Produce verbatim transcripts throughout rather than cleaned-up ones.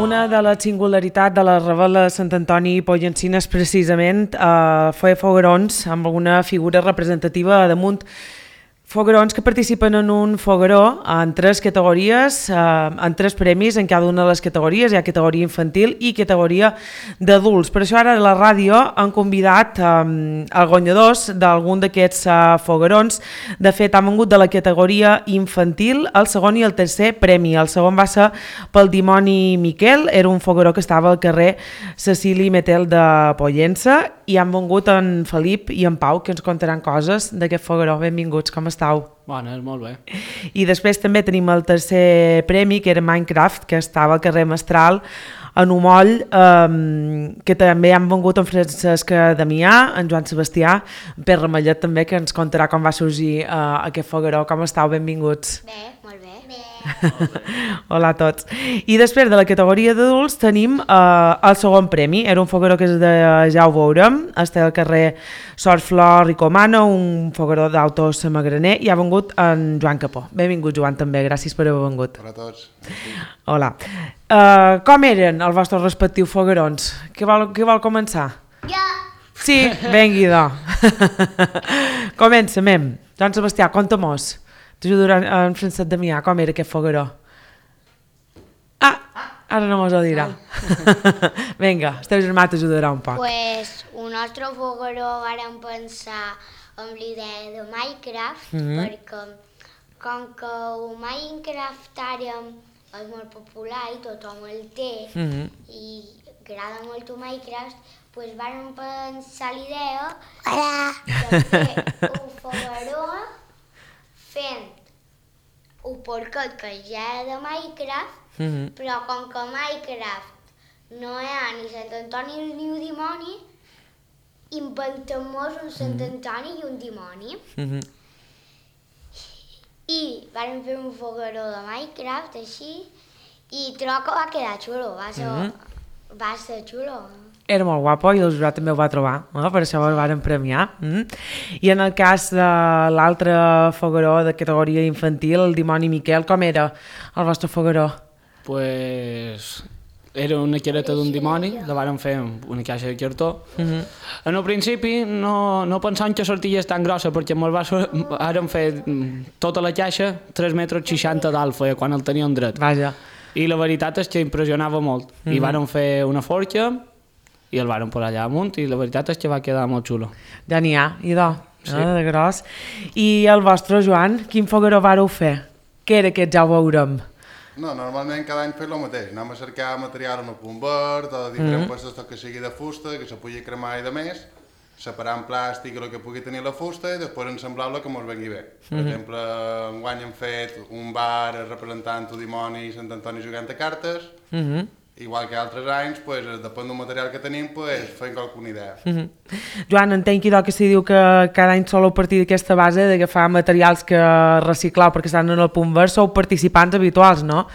Una de les singularitats de la Rebel·la de Sant Antoni i Pollencina és precisament eh, fer foguerons amb alguna figura representativa damunt. Foguerons que participen en un fogueró en tres categories, eh, en tres premis en cada una de les categories. Hi ha categoria infantil i categoria d'adults. Per això ara a la ràdio han convidat eh, els guanyadors d'algun d'aquests eh, foguerons. De fet, han vengut de la categoria infantil el segon i el tercer premi. El segon va ser pel dimoni Miquel, era un fogueró que estava al carrer Cecili Metel de Pollença, i han vengut en Felip i en Pau, que ens contaran coses d'aquest fogueró. Benvinguts, com estàu? Bones, molt bé. I després també tenim el tercer premi, que era Minecraft, que estava al carrer Mestral, en Omoll, eh, que també han vengut en Francesc Damià, en Joan Sebastià, en Pere Ramellet també, que ens contarà com va sorgir eh, aquest fogueró. Com estàu? Benvinguts. Bé, molt bé. Bé. Hola a tots. I després de la categoria d'adults tenim eh, el segon premi. Era un fogueró que és de, ja ho veurem, està al carrer Sort Flor Ricomano, un fogueró d'autos magraner, i ha vengut en Joan Capó. Benvingut, Joan, també, gràcies per haver vengut. Hola a tots. Hola. Uh, com eren els vostres respectius foguerons? Qui vol, qui vol començar? Jo. Sí, vengui, do. Comencem. Joan Sebastià, conta-mos. T'ajudarà en Francesc Damià, com era aquest fogueró? Ah, ara no mos ho dirà. Vinga, el teu germà t'ajudarà un poc. Pues un altre fogueró vàrem pensar amb l'idea de Minecraft, Mhm. perquè com que el Minecraft ara és molt popular i tothom el té, Mhm. i agrada molt el Minecraft, pues vàrem pensar l'idea de fer un fogueró fent un porquet que ja era de Minecraft, Mhm. però com que Minecraft no hi ha ni Sant Antoni ni un dimoni, inventem-nos un Sant Antoni i un dimoni. Mhm. I vàrem fer un fogueró de Minecraft, així, i trobo que va quedar xulo, va ser, Mhm. va ser xulo. Era molt guapo i el jurat també ho va trobar, eh? Per això el varen premiar. Mm? I en el cas de l'altre fogueró de categoria infantil, el dimoni Miquel, com era el vostre fogueró? Pues era una careta d'un dimoni, la vàrem fer amb una caixa de cartó. Mhm. En el principi no, no pensàvem que sortís tan grossa, perquè molt va sor... vàrem fer mm, tota la caixa tres metres seixanta d'alt feia quan el teníem dret. Vaja. I la veritat és que impressionava molt. I vàrem fer una forca i el vàrem posar allà amunt i la veritat és que va quedar molt xulo. Ja n'hi ha, idò, Sí. eh, de gros. I el vostre, Joan, quin fogueró vareu fer? Què era aquest, ja ho veurem? No, normalment cada any fem el mateix. Anem a cercar material en el punt verd o diferents peces que sigui de fusta, que se pugui cremar i de més, separar en plàstic el que pugui tenir la fusta i després ensamblar-lo que ens vengui bé. Per exemple, enguany hem fet un bar representant el dimoni i Sant Antoni jugant a cartes, Mhm. igual que altres anys, pues, depèn del material que tenim, pues, fem qualsevol idea. Mhm. Joan, entenc idò que s'hi diu que cada any soleu partir d'aquesta base d'agafar materials que reciclau perquè estan en el punt verd, sou participants habituals, no?,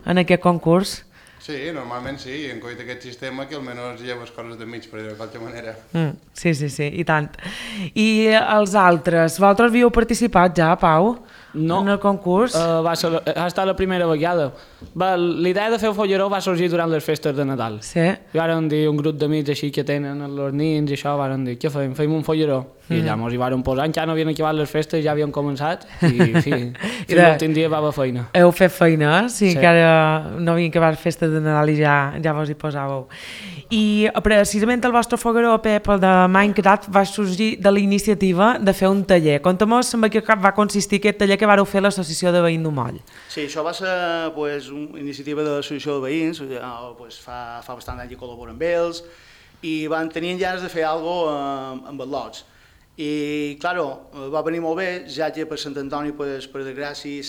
en aquest concurs. Sí, normalment sí, en coit aquest sistema que almenys lleves coses de mig, per dir-ho de qualque manera. Mm, sí, sí, sí, i tant. I els altres, vosaltres havíeu participat ja, Pau, No. en el concurs? Uh, va ser, ha estat la primera vegada. Va, la idea de fer el folleró va sorgir durant les festes de Nadal. Sí. I varen dir un grup d'amics així que tenen els nins i això, varen dir, què fem? Fem un folleró. I allà mos hi varen posar, encara no havien acabat les festes, ja havien començat, i fi, I fins de- l'últim dia va haver feina. Heu fet feina, eh? Sí, Sí. que ara no havien acabat festes de Nadal i ja, ja vos hi posàveu. I precisament el vostre fogueró, Pep, el de Minecraft, va sorgir de la iniciativa de fer un taller. Conta-mos en què va consistir aquest taller que vareu fer a l'Associació de Veïns d'Omoll. Sí, això va ser pues, una iniciativa de l'associació de veïns, eh, pues, fa, fa bastant anys que col·laboren amb ells, i van tenir ganes de fer alguna cosa amb els lots. I, claro, va venir molt bé, ja que per Sant Antoni, pues, per desgràcia,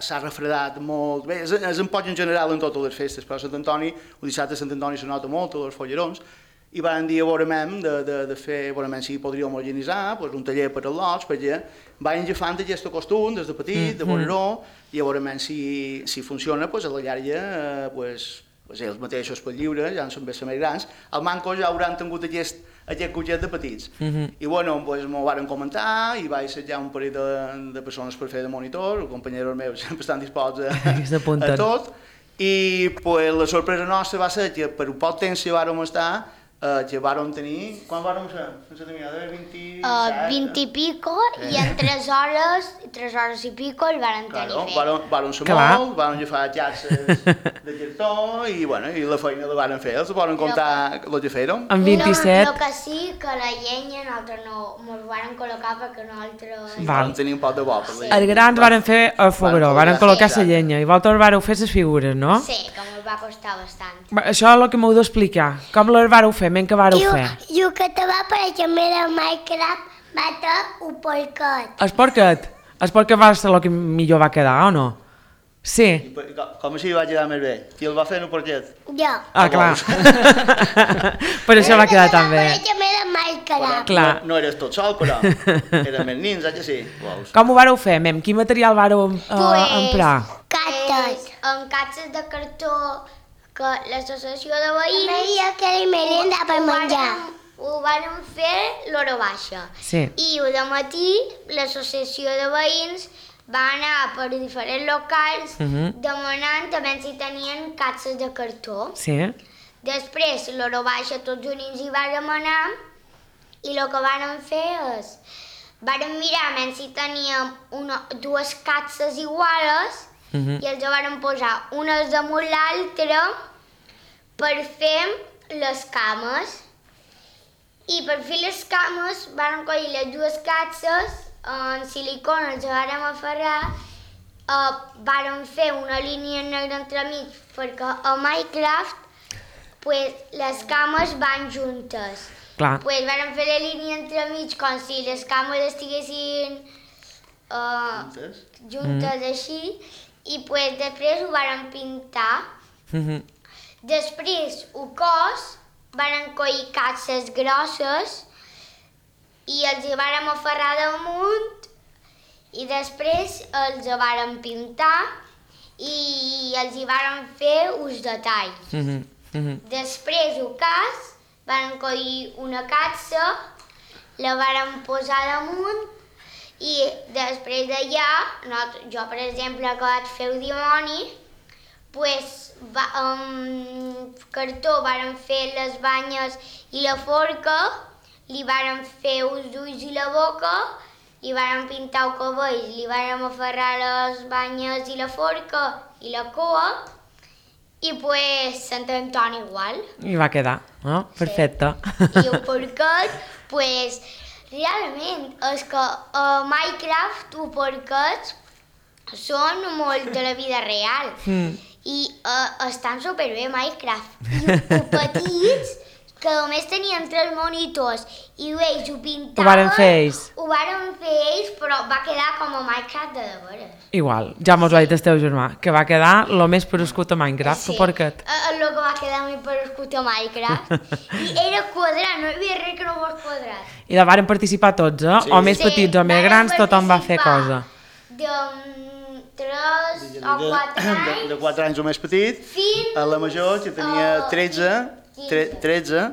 s'ha refredat molt bé. És, és un poc en general en totes les festes, però a Sant Antoni, el dissabte a Sant Antoni se nota molt, tots els follerons, i van dir a veurem de, de, de fer, veurem si podríem organitzar pues, un taller per als lots, perquè vaig agafant aquest costum des de petit, de veure-ho, i a veurem si, si funciona, pues, a la llarga, eh, pues, pues, ells mateixos per lliure, ja en són més més grans, al manco ja hauran tingut aquest, aquest cotxet de petits. Uh -huh. I bueno, pues, m'ho varen comentar i vaig assetjar un parell de, de persones per fer de monitor, els companyeros meus sempre estan disposats a, a tot, I pues, la sorpresa nostra va ser que per un poc temps que vàrem estar, eh, que vàrem tenir... Quan vàrem ser? No sé, de vint-i-set? Uh, vint i pico, Eh. i en tres hores, tres hores i pico el varen tenir Claro, fet. vàrem, vàrem ser Clar. molt, vàrem agafar xarxes de cartó i, bueno, i la feina la vàrem fer, els vàrem comptar el que fèrem. En No, vint-i-set... el que sí, que la llenya nosaltres no mos varen col·locar perquè nosaltres... Sí, Val. vàrem tenir un poc de bo per la Els grans varen fer el fogueró, Varen varen col·locar, col·locar la sí. llenya, i vosaltres vareu fer les figures, no? Sí, que mos va costar bastant. Va, això és el que m'heu d'explicar. Com les vareu fer, men que vareu fer? I el que te va aparèixer a Minecraft va ser un porquet. El porquet? El porquet va ser el que millor va quedar, o no? Sí. Com així va quedar més bé? Qui el va fer en un porquet? Jo. Ah, clar. Per això va quedar tan bé. Va aparèixer a Minecraft. Clar. No, no eres tot sol, però eren més nins, eh que sí? Veus? Com ho vareu fer, mem? Quin material vareu uh, Pues, emprar? Cates. En caixes de cartó que l'associació de veïns... Maria, que li merenda per ho menjar. vàrem- Ho vàrem fer l'hora baixa. Sí. I de matí l'associació de veïns va anar per diferents locals Mhm. demanant també si tenien caixes de cartó. Sí. Després, l'hora baixa, tots units hi vàrem anar i el que vàrem fer és... Vàrem mirar menys si teníem una, dues caixes iguales Mhm. i els vàrem posar unes damunt l'altra per fer les cames. I per fer les cames vàrem coll les dues caixes en silicona, els vàrem aferrar, uh, vàrem fer una línia negra entremig perquè a Minecraft pues, les cames van juntes. Clar. Pues vàrem fer la línia entremig com si les cames estiguessin uh, Juntes? juntes mm. així i pues, després ho vàrem pintar. Mhm. Després, el cos, varen coll caixes grosses i els hi vàrem aferrar damunt i després els vàrem pintar i els hi vàrem fer uns detalls. Mhm. Mhm. Després, el cas, varen coll una caixa, la vàrem posar damunt i després d'allà, no, jo per exemple que vaig fer el dimoni, pues, va, amb cartó vàrem fer les banyes i la forca, li vàrem fer els ulls i la boca, li vàrem pintar el cabell, li vàrem aferrar les banyes i la forca i la cua, i pues Sant Antoni igual. I va quedar, no? Perfecte. I el porquet, pues, realment, és que a Minecraft els porquets són molt de la vida real. Mm. I uh, estan superbé a Minecraft. I els petits, que només tenien tres monitors, i ells ho pintaven... Ho varen fer ells. Ho varen fer ells, però va quedar com a Minecraft de de veres. Igual, ja mos ho ha dit el teu germà, que va quedar el més perescut a Minecraft, el porquet. eh, el que va quedar més perescut a Minecraft. I era quadrat, no hi havia res que no fos quadrat. I la varen participar tots, eh? Sí. O més petits o més varen grans, tothom va fer participar cosa. De mm, tres o De, quatre de, anys de quatre anys o més petit, fins... a la major, que tenia a tretze, tre, tretze,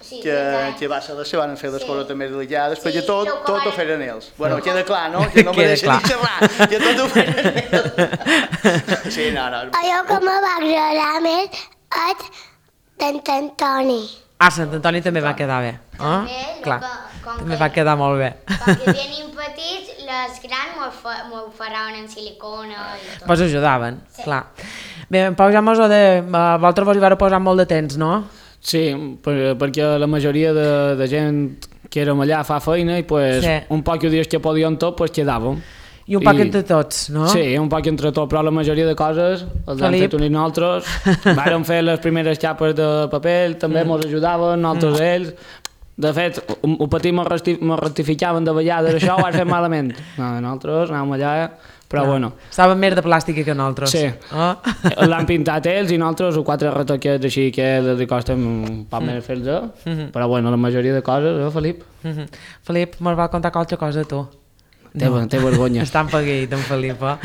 Sí, que, tretze anys. que va ser les que van fer les Sí. coses també delicades, Sí, perquè tot, lo que tot ho varen- feren ells. Bueno, queda clar, no? Que no me Queda deixen clar. ni xerrar, que tot ho feren ells. Sí, no, no. Allò que me va agradar més és d'en Antoni. Ah, Sant Antoni també va quedar bé. També, Eh? lo Clar, que- com també que- va quedar molt bé. Perquè venien petits, les grans m'ho fa, m'ho farraven en silicona i tot. Vos ajudaven, Sí. clar. Bé, en Pau ja mos ho de... eh, Vosaltres vos hi vareu posar molt de temps, no? Sí, per, perquè la majoria de, de gent que érem allà fa feina i pues, Sí. un poc els dies que podíem tot, pues quedàvem. I un poc entre tots, no? Sí, un poc entre tot, però la majoria de coses els hem Felip. fet unir nosaltres. Vàrem fer les primeres xapes de paper, també Mm. mos ajudaven, nosaltres ells. De fet, un, un petit mos resti- mos rectificaven de vegades, això ho has fet malament. No, nosaltres anàvem allà, però Clar. bueno. Saben més de plàstica que nosaltres. Sí. Oh? L'han pintat ells i nosaltres o quatre retoquets així que els costa un poc més fer-los, Mhm. però bueno, la majoria de coses, eh, Felip? Mhm. Felip, mos va contar qualque cosa, tu. Té, té vergonya. Està empaguit, en Felip, eh?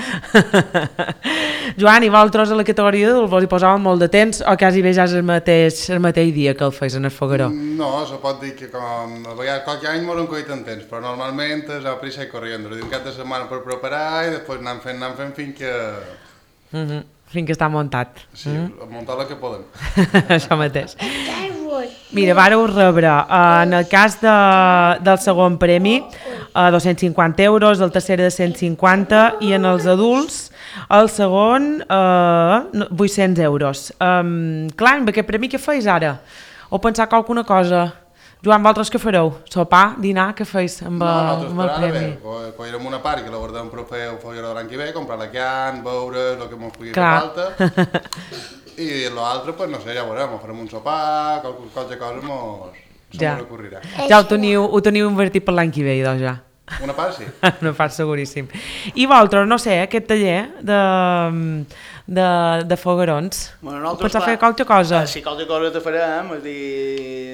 Joan, i vosaltres a la categoria vos hi posàvem molt de temps o quasi bé ja és el mateix, el mateix dia que el feis en el fogueró? No, se pot dir que com a vegades qualque any m'ho coit en temps, però normalment és a prisa i corriendo. Un cap de setmana per preparar i després anem fent, anem fent fins que... Mhm. fins que està muntat. Sí, mm. muntar el que podem. Això mateix. Mira, vareu rebre, uh, en el cas de, del segon premi, uh, dos-cents cinquanta euros, el tercer de cent cinquanta i en els adults el segon uh, vuit-cents euros. Um, clar, amb aquest premi què feis ara? O pensar que alguna cosa? Joan, vosaltres què fareu? Sopar, dinar, què feis amb, no, amb el premi? No, cogerem una part que la guardem per fer el fogueró de l'any que ve, comprar la can, beure, el que ens pugui fer falta. I l'altre, pues no sé, ja veurem, farem un sopar, qualque, qualque cosa mos, ja. se m'ocorrirà. Ja ho teniu, ho teniu invertit per l'any que ve, doncs ja. Una part sí. Una part seguríssim. I vosaltres, no sé, aquest taller de, de, de foguerons, bueno, pensar fer qualque cosa? Eh, sí, qualque cosa te farem, és dir,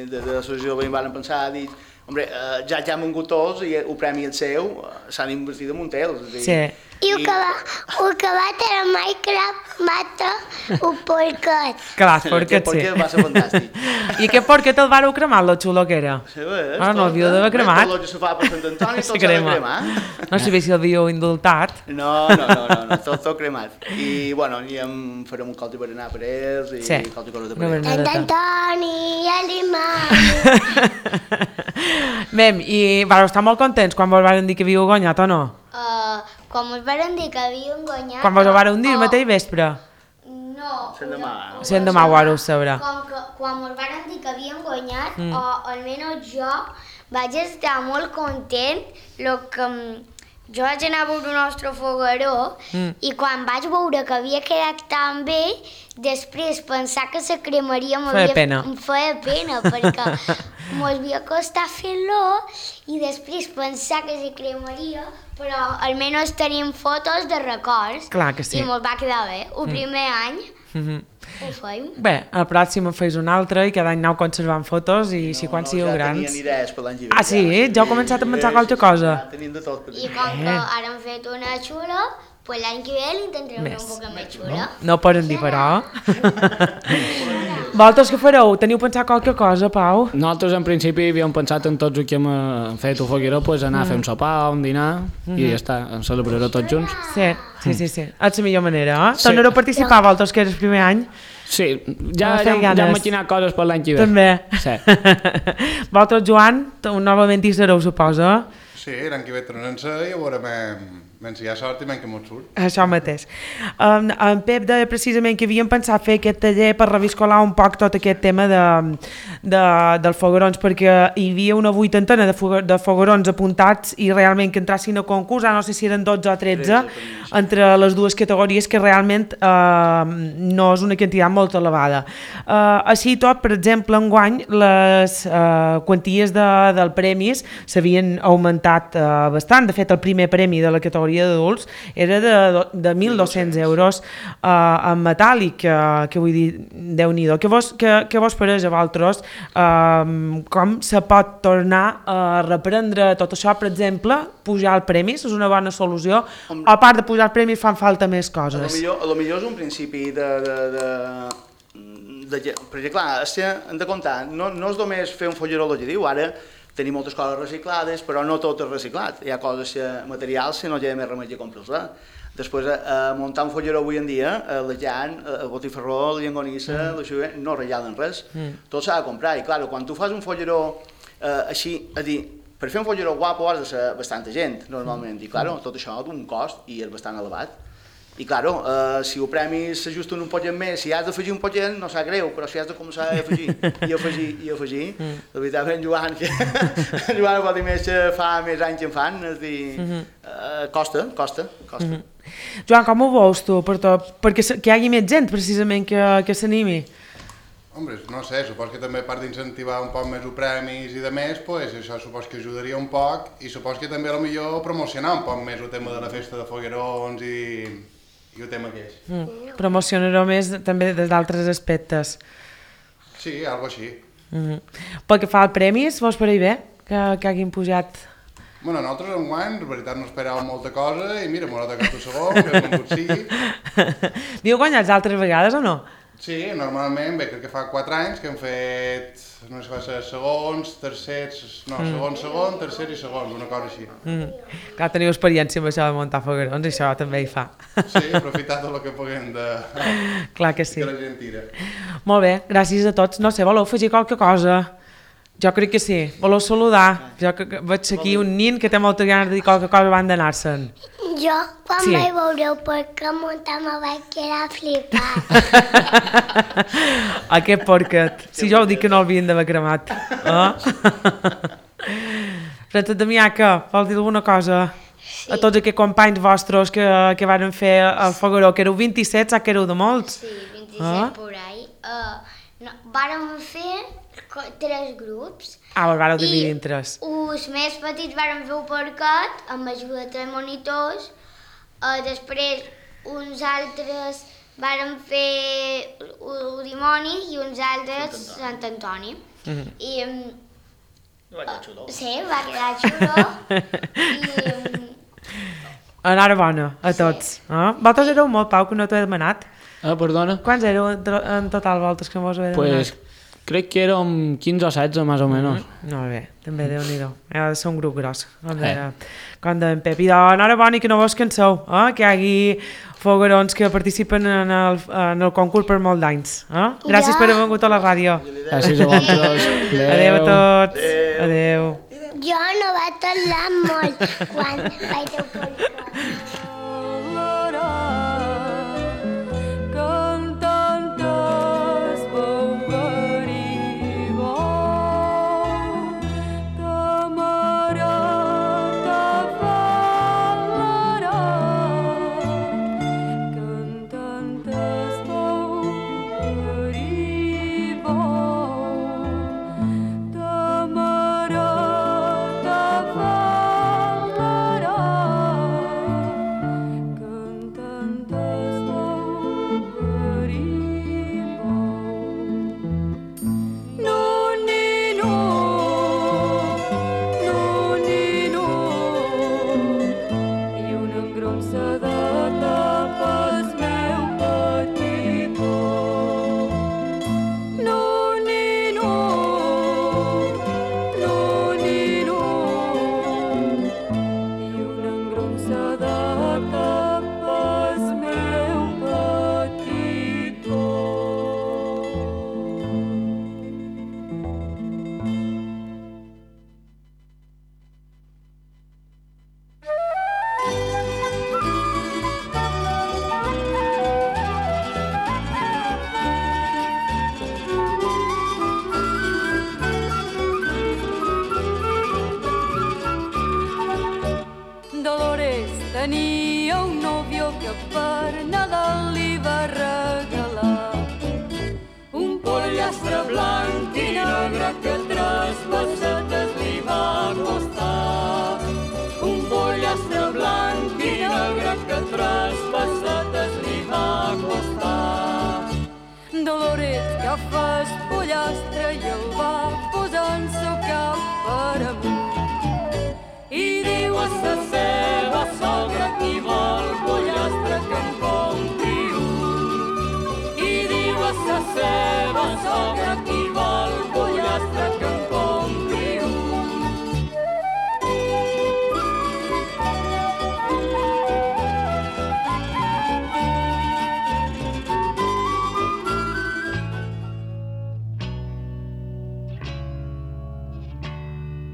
de, de l'associació veïn van pensar, dir, hombre, eh, ja ja hem vingut tots i el premi el seu s'han invertit en un tel. Sí. I el que va, el que va tenir Minecraft mata un porquet. Clar, el porquet, sí. El porquet va ser fantàstic. I aquest porquet el vareu cremar, lo xulo que era? Sí, bé, ah, no l'havíeu d'haver cremat. Tot el que se fa per Sant Antoni, tot s'ha de cremar. No sabia si l'havíeu indultat. No, no, no, no, no tot, tot cremat. I, bueno, i em farem un colti per anar per ells i sí. colti cosa de per ells. Sant Antoni i l'imam. Mem, i vareu estar molt contents quan vos varen dir que havíeu guanyat o no? Uh, quan ens van dir que havíem guanyat... Quan vos ho varen dir el mateix vespre? No. Sent demà. Sent demà ho vareu saber. Com que, quan ens van dir que havíem guanyat, mm. o almenys jo vaig estar molt content, lo que jo vaig anar a veure el nostre fogueró mm. i quan vaig veure que havia quedat tan bé, després pensar que la cremaria feia pena. Em feia pena, perquè m'havia costat fer-lo i després pensar que se cremaria, però almenys tenim fotos de records. Clar que sí. I me'l va quedar bé. El primer mm. any mm-hmm. ho feim. Bé, al pròxim en feis un altre i cada any aneu conservant fotos i no, si quan no, sigueu ja grans... tenien idees per l'any que ve. Ah, sí? Ja, ja heu començat a pensar qualque cosa? Ja tenim de tot. I com que ara hem fet una xula, pues l'any que ve l'intentarem fer un poc més xula. No, no poden dir, però. Vosaltres què fareu? Teniu pensat qualque cosa, Pau? Nosaltres en principi havíem pensat en tots els que hem fet un fogueró, pues, anar mm. a fer un sopar, un dinar, mm -hmm. i ja està, en celebraré tots junts. Sí, sí, sí, sí. És la millor manera, eh? Sí. Tornareu a participar vosaltres, que és el primer any? Sí, ja, ja, ja hem maquinat coses per l'any que ve. També. Sí. Vosaltres, Joan, novament hi sereu, suposa? Sí, l'any que ve tornem-se i veurem... menys hi ha sort i menys que mos surt. Això mateix. Um, en Pep deia precisament que havíem pensat fer aquest taller per reviscolar un poc tot aquest tema de, de, dels foguerons, perquè hi havia una vuitantena de, foguer, de foguerons apuntats i realment que entrassin a concurs, no sé si eren dotze o tretze, entre les dues categories, que realment uh, no és una quantitat molt elevada. Uh, així tot, per exemple, enguany les uh, quanties de, del premis s'havien augmentat uh, bastant. De fet, el primer premi de la categoria d'adults era de, de mil dos-cents euros uh, en metàl·lic, que, que vull dir, Déu-n'hi-do. Què vos, que, que vos pareix a vosaltres? Uh, com se pot tornar a reprendre tot això? Per exemple, pujar el premis és una bona solució? O a part de pujar el premis fan falta més coses? A lo millor, a lo millor és un principi de... de, de... de perquè clar, hem de comptar, no, no és només fer un fogueró el que diu, ara tenim moltes coses reciclades, però no tot és reciclat. Hi ha coses materials que no hi ha més remei que comprar-les. Després, a muntar un fogueró avui en dia, la llan, el botifarró, la llangonissa, mm. no regalen res. Mm. Tot s'ha de comprar. I clar, quan tu fas un fogueró eh, així, a dir, per fer un fogueró guapo has de ser bastanta gent, normalment. I clar, tot això té un cost i és bastant elevat. I clar, eh, si el premi s'ajusta un poquet més, si has d'afegir un poquet no sap greu, però si has de començar a afegir i afegir i afegir, mm. la veritat en Joan, que en Joan pot dir més que fa més anys que en fan, és dir, mm -hmm. eh, costa, costa, costa. Mm -hmm. Joan, com ho veus tu, per tot? Perquè que hi hagi més gent, precisament, que, que s'animi? Hombre, no sé, supos que també a part d'incentivar un poc més els premis i de més, pues, això supos que ajudaria un poc i supos que també potser promocionar un poc més el tema de la festa de foguerons i... i el tema que és. Mm. Promocionareu més també des d'altres aspectes. Sí, algo així. Mm-hmm. Pel que fa al premis, vos pareix bé que, que hagin pujat? Bueno, nosaltres enguany, en veritat no esperàvem molta cosa i mira, m'ho ha tocat el segon, que com pot sigui. Viu guanyats altres vegades o no? Sí, normalment, bé, crec que fa quatre anys que hem fet, no sé si va ser segons, tercers, no, segon, segon, tercer i segon, una cosa així. Mm. Clar, teniu experiència amb això de muntar foguerons i això també hi fa. Sí, aprofitar tot el que puguem de... Clar que sí. que la gent tira. Molt bé, gràcies a tots. No sé, voleu afegir qualque cosa? Jo crec que sí. Voleu saludar? Jo que que veig aquí un nin que té molta ganes de dir qualque cosa abans d'anar-se'n. Jo, quan Sí. vaig veure el porquet muntar, me vaig quedar flipat. Aquest porquet. Si jo ho dic que no l'havien d'haver cremat. Eh? Francesc Damià, què? Vols dir alguna cosa? A tots aquests companys vostres que, que van fer el fogueró, que éreu vint-i-set, saps que éreu de molts? Sí, vint-i-set Ah. por ahí. Uh, no, vàrem fer co- tres grups. Ah, us vareu I dividir en tres. els més petits varen fer un porquet amb ajuda de tres monitors. Uh, després uns altres varen fer el dimoni i uns altres Sant Antoni. Mhm. I um, Va quedar xulo. sí, va quedar xulo. I um, Enhorabona a tots. Eh? Vosaltres éreu molt, Pau, que no t'ho he demanat. Ah, perdona? Quants éreu en to- en total vosaltres que vos heu demanat? Pues crec que érem quinze o setze, més o menys. Molt bé, també Déu-n'hi-do. Ha de ser un grup gros, com Eh. deia, com deia en Pep. I doncs, enhorabona i que no vos canseu, eh? Que hi hagi foguerons que participen en el, en el concurs per molt d'anys. Eh? Gràcies Ja. per haver vingut a la ràdio. Gràcies a vosaltres. Adéu a tots. Adéu. Jo no vaig parlar molt quan vaig fer el porquet. Dolores tenia un nòvio que per Nadal li va regalar un pollastre blanc i negre que tres pessetes li va costar. Un pollastre blanc i negre que tres pessetes li va costar. Dolores agafa el pollastre i el va posar en seu cap per amunt.